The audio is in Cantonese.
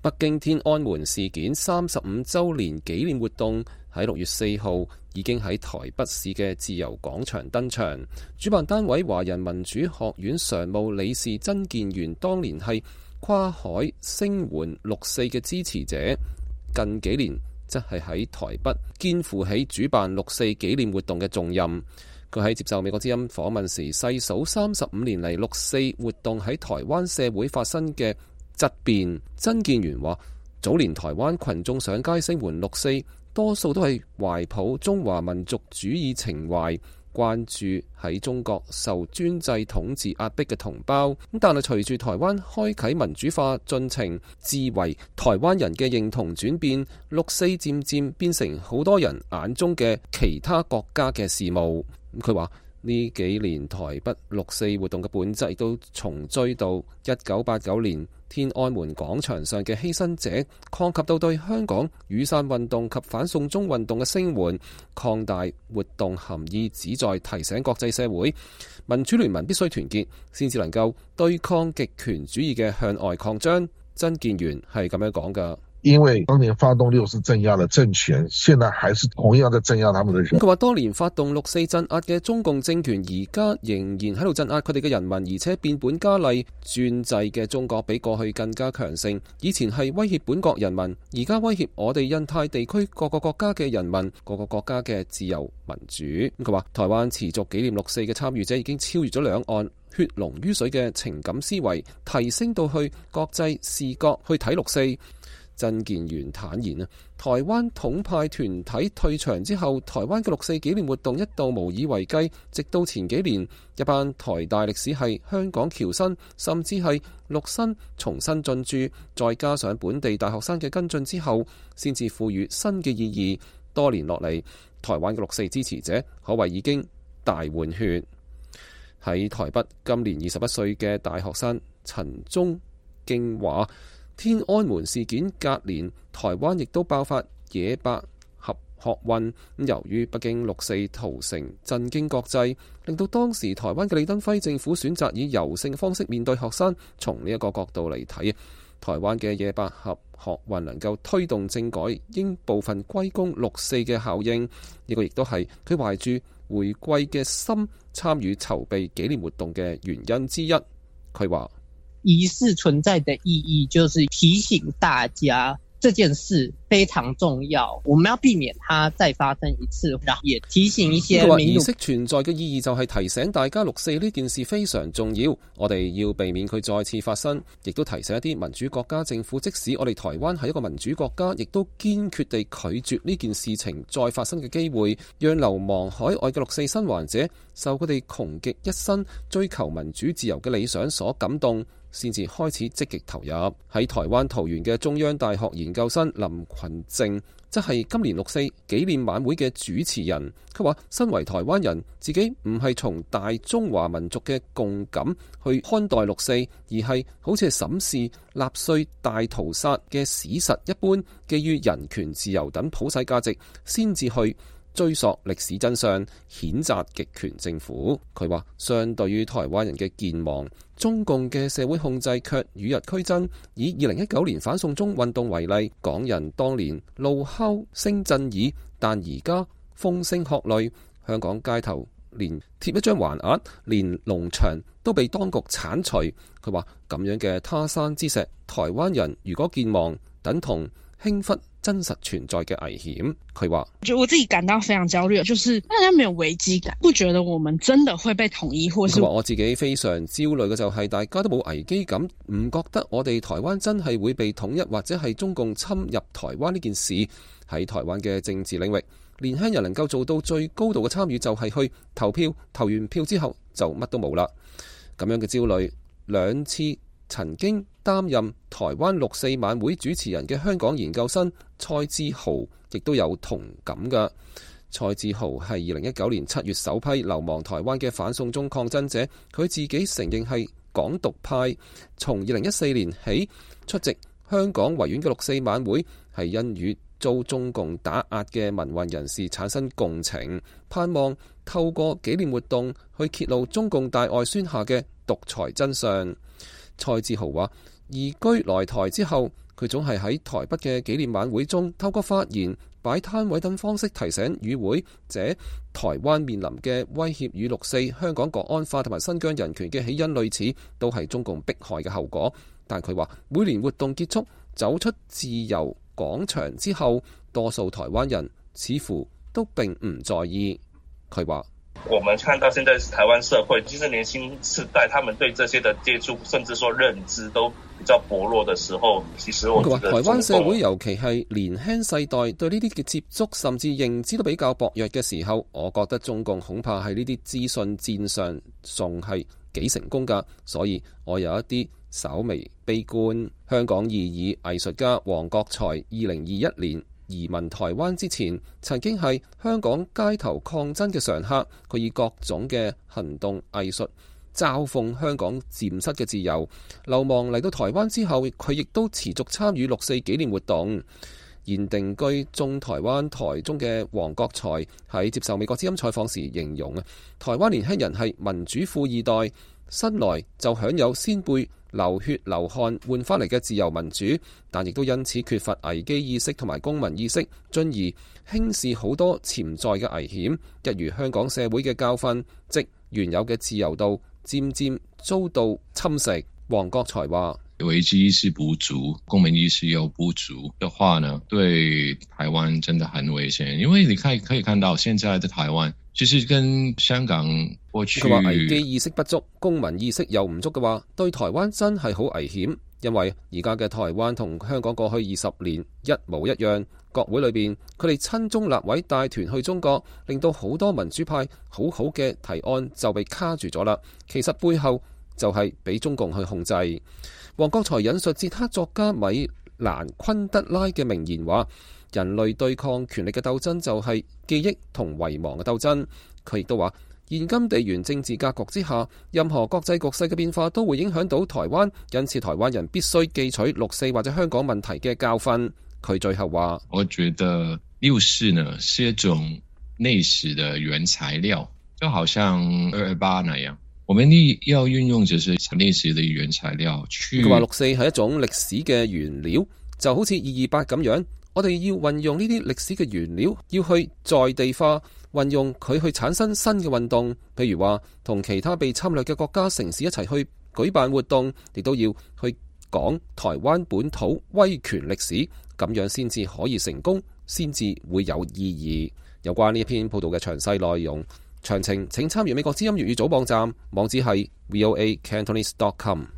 北京天安門事件35週年紀念活動喺6月4號已經喺台北市嘅自由廣場登場。主辦單位華人民主學院常務理事曾建元當年係跨海聲援6·4嘅支持者，近幾年則係喺台北肩負起主辦6·4紀念活動嘅重任。佢喺接受美國之音訪問時細數35年嚟6·4活動喺台灣社會發生嘅質變。曾建元話：早年台灣群眾上街聲援6·4，多數都係懷抱中華民族主義情懷，關注喺中國受專制統治壓迫嘅同胞。但係隨住台灣開啟民主化進程，自為台灣人嘅認同轉變，6·4漸漸變成好多人眼中嘅其他國家嘅事務。佢話呢幾年台北6·4活動嘅本質亦都重追到1989年天安門廣場上嘅犧牲者，擴及到對香港雨傘運動及反送中運動嘅聲援，擴大活動含義，旨在提醒國際社會民主聯盟必須團結，先至能夠對抗極權主義嘅向外擴張。曾建元係咁樣講㗎。因為當年發動6·4鎮壓的政權，現在還是同樣在鎮壓他們的人。佢話當年發動6·4鎮壓嘅中共政權，而家仍然喺度鎮壓佢哋嘅人民，而且變本加厲。專制嘅中國比過去更加強盛，以前係威脅本國人民，而家威脅我哋印太地區各個國家嘅人民，各個國家嘅自由民主。佢話台灣持續紀念6·4嘅參與者已經超越咗兩岸血濃於水嘅情感思維，提升到去國際視覺去睇6·4。曾建元坦言啊，台灣統派團體退場之後，台灣嘅6·4紀念活動一度無以為繼，直到前幾年一班台大歷史系、香港僑生甚至係陸生重新進駐，再加上本地大學生嘅跟進之後，先至賦予新嘅意義。多年落嚟，台灣嘅6·4支持者可謂已經大換血。喺台北今年21歲嘅大學生陳忠敬話，天安門事件隔年，台灣亦都爆發野百合學運。由於北京6·4屠城震驚國際，令到當時台灣嘅李登輝政府選擇以柔性嘅方式面對學生。從呢一個角度嚟睇，台灣嘅野百合學運能夠推動政改，應部分歸功6·4嘅效應。呢個亦都係佢懷住回歸嘅心參與籌備紀念活動嘅原因之一。佢話儀式存在的意義就是提醒大家這件事非常重要，我們要避免它再發生一次，然後也提醒一些民主。儀式存在嘅意義就係提醒大家6·4呢件事非常重要，我哋要避免佢再次發生，亦都提醒一啲民主國家政府，即使我哋台灣係一個民主國家，亦都堅決地拒絕呢件事情再發生嘅機會，讓流亡海外嘅6·4生還者受佢哋窮極一生追求民主自由嘅理想所感動，先至開始積極投入。喺台灣桃園嘅中央大學研究生林群正，則係今年6·4紀念晚會嘅主持人。佢話身為台灣人，自己唔係從大中華民族嘅共感去看待6·4，而係好似係審視納粹大屠殺嘅史實一般，基於人權自由等普世價值，先至去追溯歷史真相，譴責極權政府。佢話相對於台灣人嘅健忘，中共嘅社會控制卻與日俱增。以2019年反送中運動為例，港人當年怒吼聲震耳，但而家風聲鶴唳，香港街頭連貼一張橫額，連農場都被當局剷除。佢話咁樣嘅他山之石，台灣人如果健忘，等同輕忽真實存在嘅危險。佢話我自己感到非常焦慮，就是大家沒有危機感，不覺得我們真的會被統一，或是我自己非常焦慮嘅就係大家都冇危機感，唔覺得我哋台灣真係會被統一，或者係中共侵入台灣呢件事。喺台灣嘅政治領域，年輕人能夠做到最高度嘅參與就係去投票，投完票之後就乜都冇啦。咁樣嘅焦慮，兩次曾經擔任台灣6·4晚會主持人嘅香港研究生蔡志豪亦都有同感㗎。蔡志豪係2019年7月首批流亡台灣嘅反送中抗爭者，佢自己承認係港獨派，從2014年起出席香港維園嘅6·4晚會，係因與遭中共打壓嘅民運人士產生共情，盼望透過紀念活動去揭露中共大外宣下嘅獨裁真相。蔡志豪話：移居來台之後，佢總係喺台北嘅紀念晚會中透過發言、擺攤位等方式提醒與會者，台灣面臨嘅威脅與6·4、香港國安法同埋新疆人權嘅起因類似，都係中共迫害嘅後果。但佢話每年活動結束，走出自由廣場之後，多數台灣人似乎都並唔在意。佢話：我們看到現在台灣社會，其實年輕世代，他們對這些的接觸，甚至說認知都比較薄弱的時候，其實我覺得台灣社會尤其係年輕世代對呢啲嘅接觸甚至認知都比較薄弱嘅時候，我覺得中共恐怕喺呢啲資訊戰上仲係幾成功㗎，所以我有一啲稍微悲觀。香港異議藝術家黃國財2021年移民台灣之前，曾經係香港街頭抗爭嘅常客。佢以各種嘅行動藝術嘲諷香港漸失嘅自由。流亡嚟到台灣之後，佢亦都持續參與6·4紀念活動。現定居中台灣台中嘅黃國財喺接受美國之音採訪時形容台灣年輕人係民主富二代，生來就享有先輩流血流汗換翻嚟嘅自由民主，但亦都因此缺乏危機意識同埋公民意識，進而輕視好多潛在嘅危險，一如香港社會嘅教訓，即原有嘅自由度漸漸遭到侵蝕。黃國財話：危機意識不足，公民意識又不足的話呢，對台灣真的很危險。因為你可以看到現在的台灣其實跟香港過去，佢話危機意識不足，公民意識又唔足嘅話，對台灣真係好危險。因為而家嘅台灣同香港過去20年一模一樣，國會裏邊佢哋親中立委帶團去中國，令到好多民主派好嘅提案就被卡住咗啦。其實背後就係俾中共去控制。黃國財引述捷克作家米蘭昆德拉嘅名言話：人類對抗權力嘅鬥爭就係記憶同遺忘嘅鬥爭。佢亦都話，現今地緣政治格局之下，任何國際局勢嘅變化都會影響到台灣，因此台灣人必須記取6·4或者香港問題嘅教訓。佢最後話：我覺得6·4呢是一種歷史的原材料，就好像2·28那樣，我們要運用這些歷史的原材料去。佢話6·4係一種歷史嘅原料，就好似2·28咁樣，我哋要運用呢啲歷史嘅原料，要去在地化，運用佢去產生新嘅運動，譬如話同其他被侵略嘅國家城市一齊去舉辦活動，亦都要去講台灣本土威權歷史，咁樣先至可以成功，先至會有意義。有關呢一篇報道嘅詳細內容，詳情請參閱美國之音粵語組網站，網址係 voacantonese.com。